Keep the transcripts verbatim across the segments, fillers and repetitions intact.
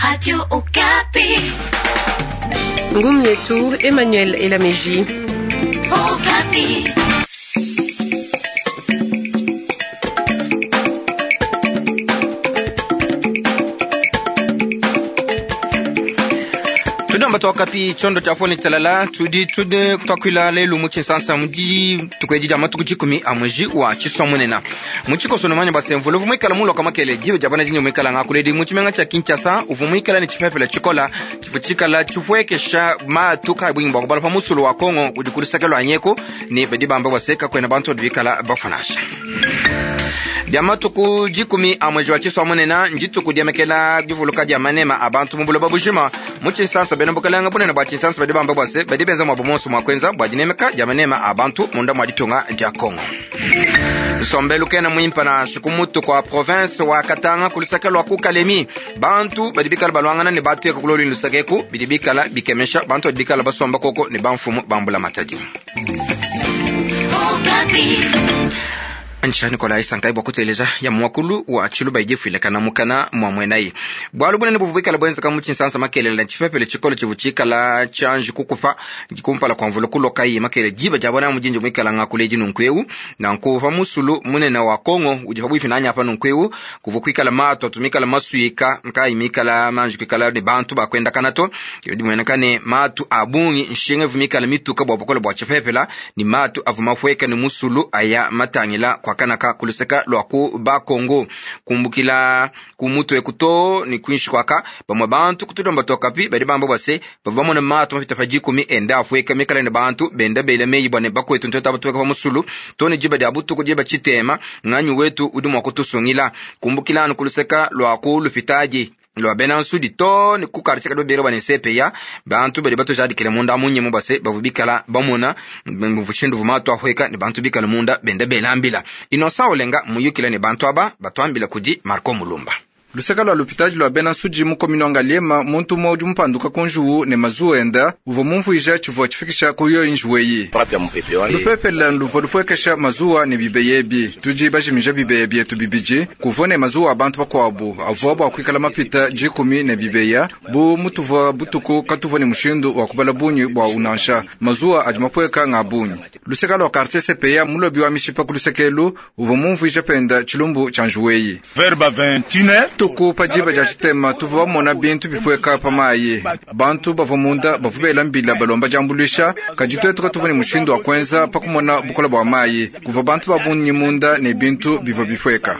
Radio Okapi. Ngumu yetu Emmanuel Elameji. Okapi. Tudamba twakapi chondo cha foni talala tudi tude twakwila lelu muchinsansa mudi tukwedi dia matuku chikumi a mwezi wa chiswa muchikoso manya basemvula uvu mwikala muloka makele jiwe jabana jinyo mwikala ngakuledi muchimenga cha Kinshasa uvu mwikala ni chipepele chikola chifu chikala chifwekesha matu ka bwingi bwa kubala pa musulu wa Kongo udi anyeko ni badi bamba baseka kwena bantu bikala bafanasha dia matuku dikumi a mwezi wa chiswa munena ndituku diamekela divuluka dia manema abantu mu buloba bujima mu tshinsansa bena bukalanga bunene bua tshinsansa badi bamba bua se badi benza muabu monso mua kuenza bua dinemeka dia manema abantu munda mua ditunga dia Kongo. Nsombelu kena muimpa na shikumutu kwa province wa Katanga kulusaka lwa ku Kalemi bantu badi bikala balwangana ne batu eka kuloli lusakeku bidi bikala bikemesha bantu badi bikala basomba koko ne bamfumu bambula matadi. Anisha Nikolai Sankai bwa kuteleza ya mwakulu wa chiluba ijefuilekana mukana mwa mwenayi bwalu bunene buvubikala bwenzeka mu tshinsansa makelele na tshipepele tshikolo tshivu tshikala tshianji kukufa kumpala kwa mvula kulokayi makele jiba jabona mujinji mwikala ngakuledi nunku nanku pa musulu munene wa Kongo udi pabwipi nanya pa nunku eu kuvu kuikala mato atumikala masuyika nkayi mikala manji kuikala ne bantu bakwenda kanato yodi mwenekane matu abungi nshinga vumikala mituka bwa bukola bwa tshipepela ni matu avuma fweka ni musulu aya matangila kwa kanaka kuluseka lwaku bakongo kumbukila kumutu ekuto ni kwinshi kwaka bamwe bantu kutulomba tokapi badi bamba bwase bava bamona mato mapita pa jikumi enda afweka mikala ne bantu benda bela meyi bwane bakwetu ntota batuweka pa musulu tone jiba dia butuku jiba chitema nganyu wetu udi mwa kutusungila kumbukila anu kuluseka lwaku lupitaji lwa bena nsudi to ni kukarche kado bero bane sepeya bantu bali bato jadikile munda munye mubase bavubikala bamona muvushindu vumatu ahweka ni bantu bikala munda benda belambila inosa olenga muyukila ni bantu aba batwambila kudi Marco Mulumba. Luseka lwa lupitaji lwa bena nsudi mu komino Ngaliema muntu umwe udi mupanduka ku njuwu ne mazuwa enda uvua mumvuija tshivua tshifikisha ku yoyi njuwu eyi. Lupepele luvua lupuekesha mazuwa ne bibeya ebi tudi bajimija bibeya bietu bibidi kuvua ne mazuwa a bantu bakuabu avua bua kuikala mapita dikumi ne bibeya bu mutuvua butuku katuvua ne mushindu wa kubala bungi bua unansha mazuwa adi mapueka nga bungi. Luseka lwa quartier C P A mulobi wa mishipa ku lusekelu uvua mumvuija penda tshilumbu tshia njuwu eyi. Tuku pa jiba dia tshitema tuvua bamona bintu bipueka pa mayi bantu bavua munda bavua bela mbila balomba diambuluisha kadi tuetu katuvua ne mushindu wa kuenza pa kumona bukola bua mayi kuvua bantu babungi munda ne bintu bivua bipueka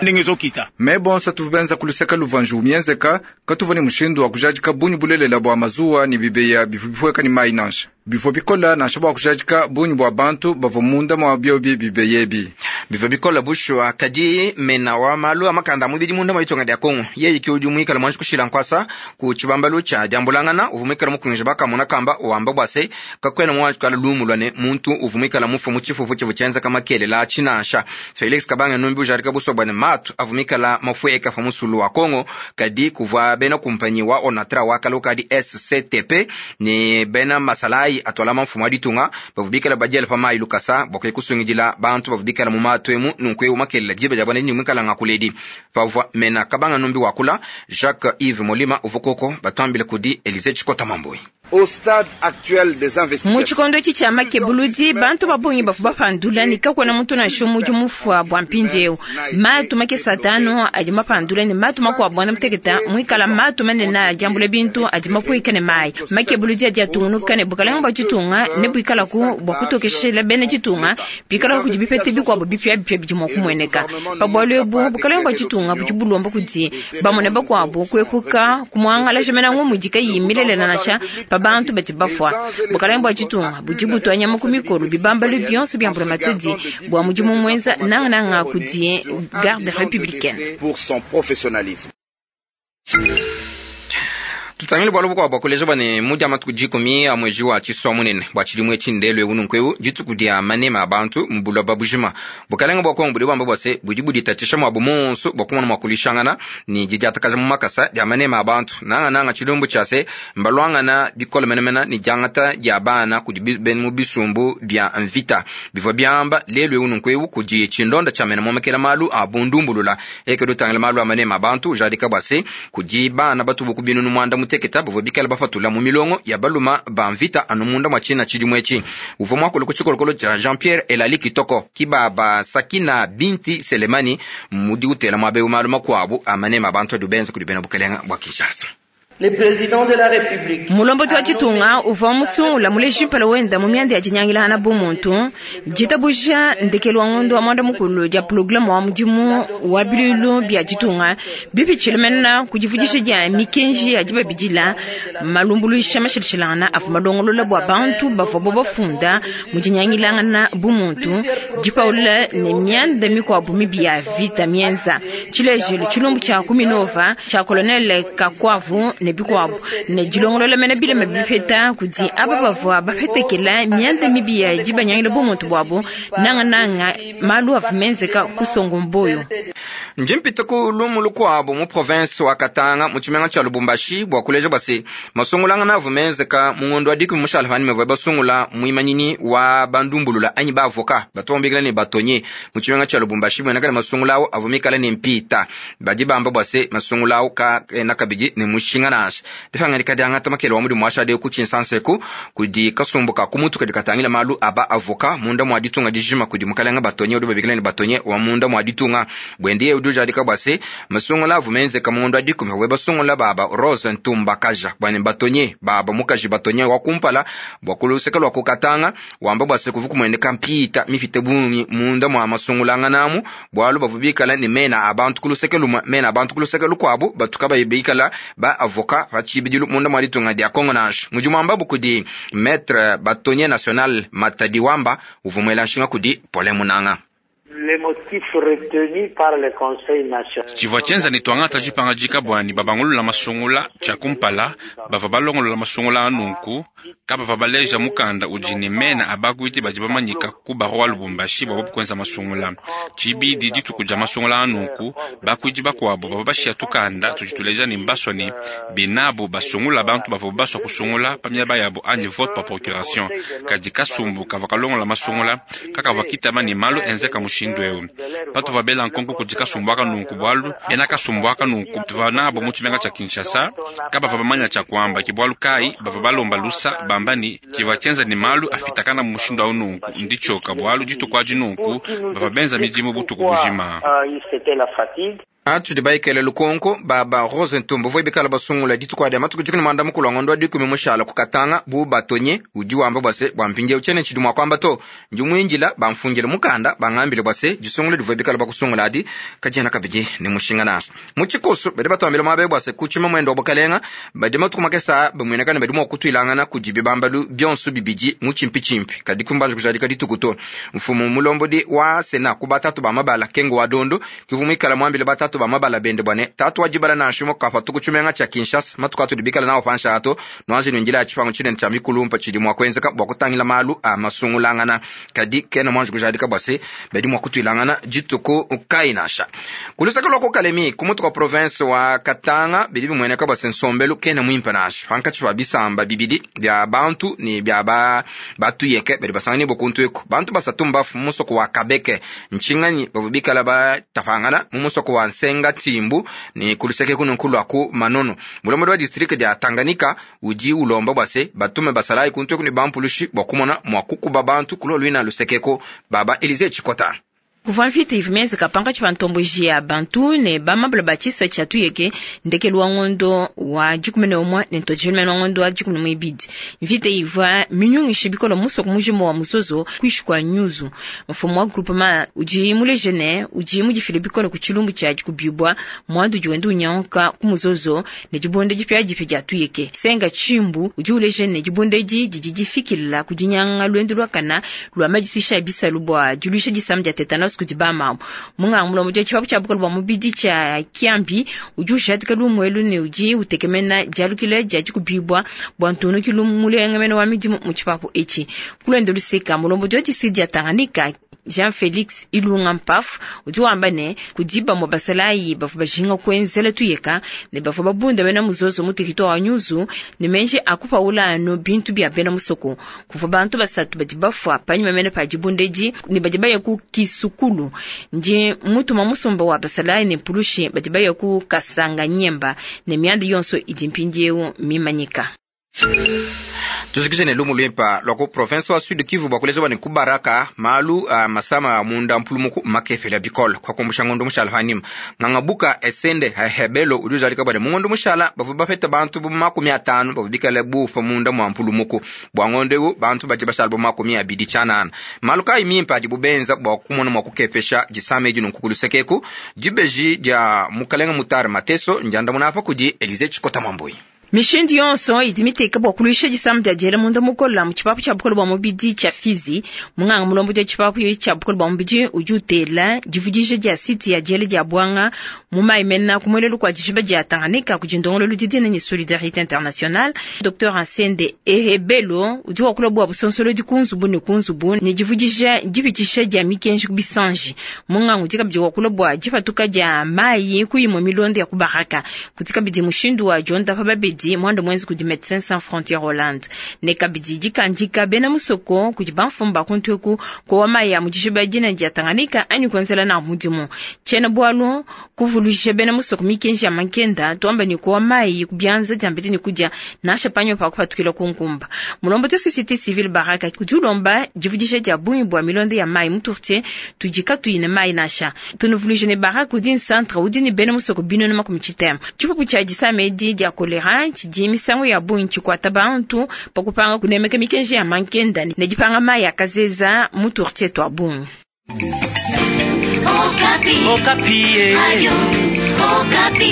me bonso tuvua benza kuluseka luvua njuwu mienzeka katuvua ne mushindu wa kujadika bungi bulelela bua mazuwa ne bibeya bivua bipueka ne mayi nansha bivua bikola nansha bua kujadika bungi bua bantu bavua munda mua biobi bibeya ebi bivua bikola bushwa kadi mena wa malu amakanda mubidi munda mwa itonga dia Kongo yeye ki udi mwikala mwanji kushila nkwasa ku tshibambalu tsha diambulangana uvu mwikala mukunja bakamona kamba wamba bwase kakwena mwanji kala lumu lwane muntu uvu mwikala mufu mu tshifufu tshivu tshienza kama kelela tshinansha Felix Kabanga numbi ujarika buswa bwane matu avu mwikala mafueka pa musulu wa Kongo kadi kuvua bena kumpanyi wa Onatra wa kala ukadi S C T P ne bena masalai atwala mfumu aditunga bavu bikala badiela pa mayi lukasa bwakwe kusungidila bantu bavu bikala mu matu emu nunku eu makelela jiba jabwana ni mwikala ngakuledi pavua mena Kabanga numbi wakula Jacques Yves Molima uvukoko batwambile kudi Elise Chikota Mambui. Au stade actuel des investigations, mu tshikondo etshi tshia makebuludi bantu babungi bavua bapandula ne kakuena muntu nansha umue udi mufua bua mpindieu matu makese atanu adi mapandula ne matu makuabu anda muteketa muikala matu manene adi ambula bintu adi mapuika ne mayi makebuludi adi atungunuka ne bukalenga bua tshitunga ne buikalaku bua kutokeshela bena tshitunga bikalaku kudi bipete bikuabu bipiabipia bidi mua kumueneka pa bualu ebu bukalenga bua tshitunga budi bulomba kudi bamone bakuabu kuepuka kumuangalaja mena ngumu idi kayiyi milelela nansha pa bantu badi bafua bukalenga bua tshitunga budi butua nyama ku mikolo bibambalu bionso bia mbula matadi bua mudimu muenza nangananga kudi garde républicaine. Pour son professionnalisme. Tutangile bualu bukuabu bua kuleja bua ne mu dia matuku dikumi a mwezi wa Tshisua munene bua tshidimu etshi ndelu eu nunku eu dituku dia manema a bantu mu buloba bujima. Bukalenga bua Kongo budi buamba bua se budi buditatshisha muabu monso bua kumona mua kulishangana ne didiatakaja mu makasa dia manema a bantu. Nangananga tshilumbu tshia se mbaluangana bikole menemene ne diangata dia bana kudi bena mu bisumbu bia mvita bivua biamba lelu eu nunku eu kudi tshindonda tshia mena momekela malu a bundumbulula eke dutangila malu a manema a bantu ujadika bua se kudi bana batubu ku binunu muanda muteketa bavua bikala bafatula mu milongo ya baluma ba mvita anu munda mwa tshina tshidimu etshi. Uvua muakule ku tshikolokolo tshia Jean-Pierre Elali Kitoko kibaba Sakina Binti Selemani mudi utela muabe malu makuabu a manema a bantu adi benza kudi bena bukelenga bua Kinshasa. Le président de la République Mulombodi wa ditunga uvua musungula muleji mpala wenda mu mianda ya dinyangilangana bumuntu ditabuja ndekelu wa ngondo wa mwanda mukulu dia programme wa mudimu wa biluilu bia ditunga bipitshile mena ku divudisha dia mikenji ya dibabidila malumbuluisha mashilashilangana avua malongolola bua bantu bavua bo bafunda mu dinyangilangana bumuntu dipaula ne mianda mikuabu mibi ya vita mienza tshilejelu tshilumbu tshia kuminova tshia colonel Kakwavu ne bikuabu ne dilongolola mena bilema bipeta kudi aba bavua bapetekela mianda mibi ya dibanyangila bumuntu buabu nangananga malu avua menzeka kusongo mboyo. Njimpita ku lumu lukuabu mu province wa Katanga mu tshimenga tshia Lubumbashi bua kuleja bua se masungulangana avua menzeka mu ngondo wa dikumi mushala pani mevua basungula muimanyini wa bandumbulula anyi ba avocat batu bambikila ne batonye mu tshimenga tshia Lubumbashi mueneka ne masungula awu avua mikale ne mpita badi bamba bua se masungula awu kaena kabidi ne mushinga nansha. Dipangadika diangata makele wa mudimu washade ku tshinsanseku kudi kasumbu ka kumutu kadi katangila malu aba avocat munda mwa ditunga dijima kudi mukalenga batonye udi babikila ne batonye wa munda mwa ditunga bwendiye udi ujadika bua se masungula avua menzeka mu ngondo wa dikumi we basungula baba Rose Ntumba Kaja bua ne batonye baba mukaji batonye wa kumpala bua kuluseka lua kukatanga wamba bua se kuvu kumueneka mpita mifite bungi munda mwa masungulangana bualu bavua bikala ne mena a bantu kuluseke lumwe mena a bantu kuluseke lukuabu batuka bayibikala ba avocat pa tshibidilu munda mwa ditunga dia Kongo nansha. Mudimu wamba kudi maître batonye national Matadi Wamba uvua muela nshinga kudi Paulin Munanga. Les motifs retenus par le Conseil national. Tshivua tshienza ne twangata dipangadika bwani babangulula masungula tshia kumpala bavua balongolola masungula anunku kabava baleja mukanda udi ne mena abakuiti badi bamanyika ku baro wa Lubumbashi bua kuenza masungula. Tshibidi dituku dia masungula anunku bakuidi bakuabu bavua bashia tukanda tudi tuleja ne mbaswa ne benabu basungula bantu bavua baswa kusungula pa miaba yabo anyi vote par procuration. Kadi kasumbu kavua kalongola masungula kakavua kitaba ne malu enzeka mushindu eu. Patuvua bela nkonko kudi kasumbu aka nunku bualu bena kasumbu aka nunku tuvua nabo mu tshimenga tshia Kinshasa kabavua bamanya tshia kuamba ke bualu kai bavua balomba lusa bamba ni tshivua tshienza ne malu afitakana mu mushindu au nunku nditshoka bualu dituku adi nunku bavua benza midimu butuku bujima. Atudi baikele lukonko baba Rose Ntumba uvua bikala basungula dituku adi matuku dikumi mwanda mukulu wa ngondo wa dikumi mushala kukatanga bu batonye udi wamba bua se bua mpindieu tshiene tshidi mua kuamba to ndi muindila bamfungile mukanda bangambile bua se disungula divua bikala bakusungula adi kadiena kabidi ne mushinga nansha. Mu tshikoso badi batuambila muaba bua se kutshima muendo wa bukalenga badi matuku makesa bamuenekana badi mua kutuilangana kudi bibambalu bionso bibidi mu tshimpitshimpi kadi kumbanja kujadika dituku to. Mfumu mulombodi wa Sena ku batatu ba mabala Kengo wa Dondo kivu muikala muambile batatu ba mabala bende bwane tatu wajibala na nshimo kapa tukutshimenga tsha Kinshasa matuku atudi bikala nawo pansha ato nwanji nwinjila ya tshipangu tshinene tsha mikulumpa tshidi mua kuenzeka bua kutangila malu a masungulangana kadi kena mwanji kujadika bua se badi mua kutuilangana dituku kai nansha. Kulusaka lua kukalemi ku mutu kwa province wa Katanga bidi bimueneka bua se nsombelu kena muimpe nansha pankatshi pa bisamba bibidi bia bantu ne bia ba batuyeke badi basangani bokuntu eku bantu basatu mbafu mu musoko wa Kabeke ntshinganyi bavua bikala batapangana mu musoko wa Nsenga Timbu ni kuluseke kuno nkulu aku manono. Mulombodi wa district dia Tanganyika udi ulomba bua se batume basalayi kuntu eku ne bampulushi bua kumona mua kukuba bantu kuloluina lusekeko baba Elize Chikota. Kuvua mvita ivua mienzeka pankatshi pa ntomboji ya bantu ne bamabula ba tshisa tshia tuyeke ndekelu wa ngondo wa dikumi ne umue ne ntojilu wa ngondo wa dikumi ne muibidi. Mvita ivua minyungishe bikole musoko mujima wa musozo kuishi kwa nyuzu. Mfumu wa groupement udi muleje ne udi mudifile bikole ku tshilumbu tshia dikubibwa mwandu udi wenda unyanguka ku muzozo ne dibonde dipiadipia dia tuyeke. Senga Tshimbu udi uleje ne dibonde edi didi difikila ku dinyanga luendu luakana lua madisisha a bisalu bua diluisha disama dia tetanus nasu kudi bamamu. Munganga mulombodi wa tshipapu tshia bukole bua mubidi tshia Kiambi udi ujadika lumu elu ne udi utekemena dialukila dia dikubibua bua ntunukilu mulengemene wa midimu mu tshipapu etshi. Kulwendo luseka mulombodi wa distrikiti dia Tanganyika Jean-Félix Ilunga Mpafu udi wamba ne kudi bamue basalayi bavua bajinga kuenzela tuyeka ne bavua babunda bena muzozo mu territoire wa Nyuzu ne menji akupaula anu bintu bia bena musoko. Kuvua bantu basatu badi bafua panyima mene pa dibundedi ne badi baya ku Kisukulu. Ndi mutuma musumba wa basalayi ne mpulushi badi baya ku Kasanga Nyemba ne mianda yonso idi mpindieu mimanyika. Tuzikije ne lumu lwimpa lwa ku province wa Sud Kivu bua kuleza bane kubaraka malu uh, masama munda mpulumuku makefela bikolo kwa kumbusha ngondo mushala hanima ngangabuka esende hebelo udi uzalika bane mungondo mushala bavu bapeta bantu bu makumi atano bavu bikale bufa munda mwa mpulumuku bua ngondo ewu bantu baje bashala bu makumi abidi tshianana malu kayi mimpa adi bubenza bua kumona mua kukepesha disama edi nunku kulusekeku dibeji dia mukalenga mutare mateso ndiandamuna apa kudi Elize Chikota Mwambui. Mishindu yonso idi miteka bua kuluisha disama dia diela munda mukola mu tshipapu tshia bukole bua mubidi tshia Fizi. Munganga mulombodi wa tshipapu tshia bukole bua mubidi udi utela divudija dia site ya diela dia bwanga mu mayi mena ku muelelu kua dijiba dia Tanganyika kudi ndongololu didina ne Solidarité Internationale. Docteur Ansende Ehebelo udi wakula bua busonsolodi ku nzubu ne ku nzubu ne divudija dipitshisha dia mikenji ku bisanji. Munganga udi kabidi wakula bua dipatuka dia mayi ku imue milondo ya ku Baraka. Kudi kabidi mushindu wa diondapa babedi mwando mwenzi kudi Médecins Sans Frontières Hollande ne kabidi dikandika bena musoko kudi bamfumba kuntweku kowa mayi ya mu dijiba dina dia Tanganyika anyi kuenzela na mudimu. Tshiena bualu kuvuluisha bena musoko mikenji ya mankenda tuamba ni kowa mayi kubianza diambedi ni kudia nasha panyo pa kupatukila ku nkumba. Mulombodi wa société civile Baraka kudi ulomba divudisha dia bungi bua milonde ya mayi mu tourtier tudi katuyi ne mayi nasha. Tunuvuluisha ne Baraka udi nsantre udi ne bena musoko binunu makumi tshitema. Tshipupu tshia disama edi dia kolera tshidi misangu ya bungi tshikwata bantu pa kupanga kunemeka mikenji ya mankenda ne dipanga mayi akazeza mu tourtier twa bungi. Okapi. Okapi. Radio Okapi.